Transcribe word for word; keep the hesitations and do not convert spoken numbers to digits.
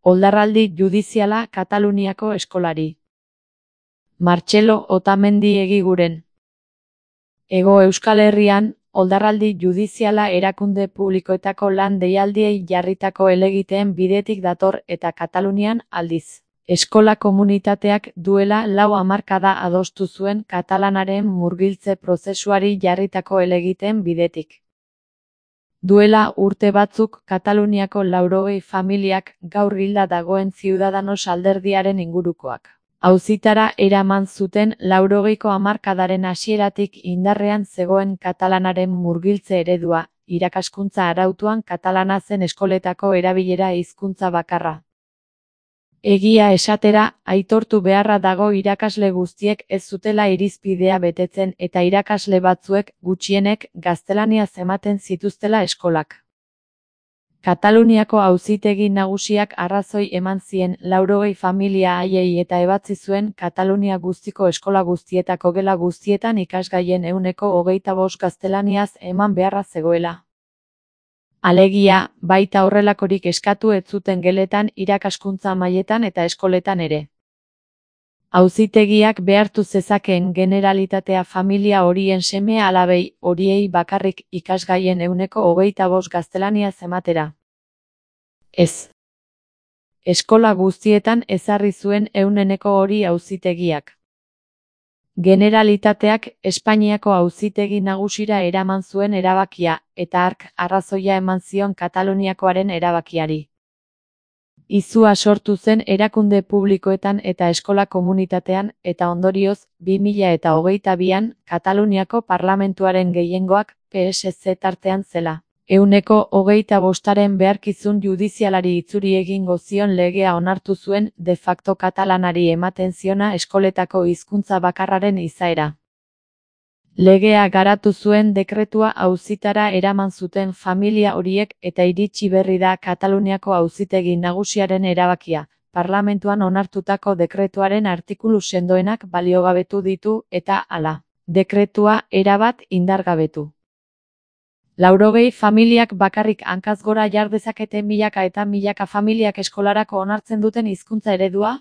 Oldarraldi judiziala Kataluniako eskolari. Martxelo Otamendi Egiguren. Hego Euskal Herrian, oldarraldi judiziala erakunde publikoetako lan deialdiei jarritako helegiteen bidetik dator eta Katalunian aldiz. Eskola komunitateak duela lau hamarkada adostu zuen katalanaren murgiltze prozesuari jarritako helegiteen bidetik. Duela urte batzuk Kataluniako laurogei familiak gaur hilda dagoen Ciudadanos alderdiaren ingurukoak. Auzitara eraman zuten laurogeiko hamarkadaren hasieratik indarrean zegoen katalanaren murgiltze eredua, irakaskuntza arautuan katalana zen eskoletako erabilera hizkuntza bakarra. Egia esatera, aitortu beharra dago irakasle guztiek ez zutela irizpidea betetzen eta irakasle batzuek, gutxienek, gaztelaniaz ematen zituztela eskolak. Kataluniako Auzitegi Nagusiak arrazoi eman zien laurogei familia haiei eta ebatzi zuen Katalunia guztiko eskola guztietako gela guztietan ikasgaien ehuneko hogeita bost gaztelaniaz eman beharra zegoela. Alegia, baita horrelakorik eskatu ez zuten geletan irakaskuntza mailetan eta eskoletan ere. Auzitegiak behartu zezakeen generalitatea familia horien seme-alabei horiei bakarrik ikasgaien ehuneko hogeita bost gaztelaniaz ematera. Ez. Eskola guztietan ezarri zuen ehuneko hori auzitegiak. Generalitateak Espainiako Auzitegi Nagusira eraman zuen erabakia, eta hark arrazoia eman zion Kataluniakoaren erabakiari. Izua sortu zen erakunde publikoetan eta eskola komunitatean, eta ondorioz, bi mila eta hogeita bian, Kataluniako parlamentuaren gehiengoak P S Z tartean zela. Ehuneko hogeita bostaren beharkizun judizialari itzuri egingo zion legea onartu zuen de facto katalanari ematen ziona eskoletako hizkuntza bakarraren izaera. Legea garatu zuen dekretua auzitara eraman zuten familia horiek eta iritsi berri da Kataluniako Auzitegi Nagusiaren erabakia, parlamentuan onartutako dekretuaren artikulu sendoenak baliogabetu ditu eta hala, dekretua erabat indargabetu. Laurogei familiak bakarrik hankaz gora jar dezakete milaka eta milaka familiak eskolarako onartzen duten hizkuntza eredua?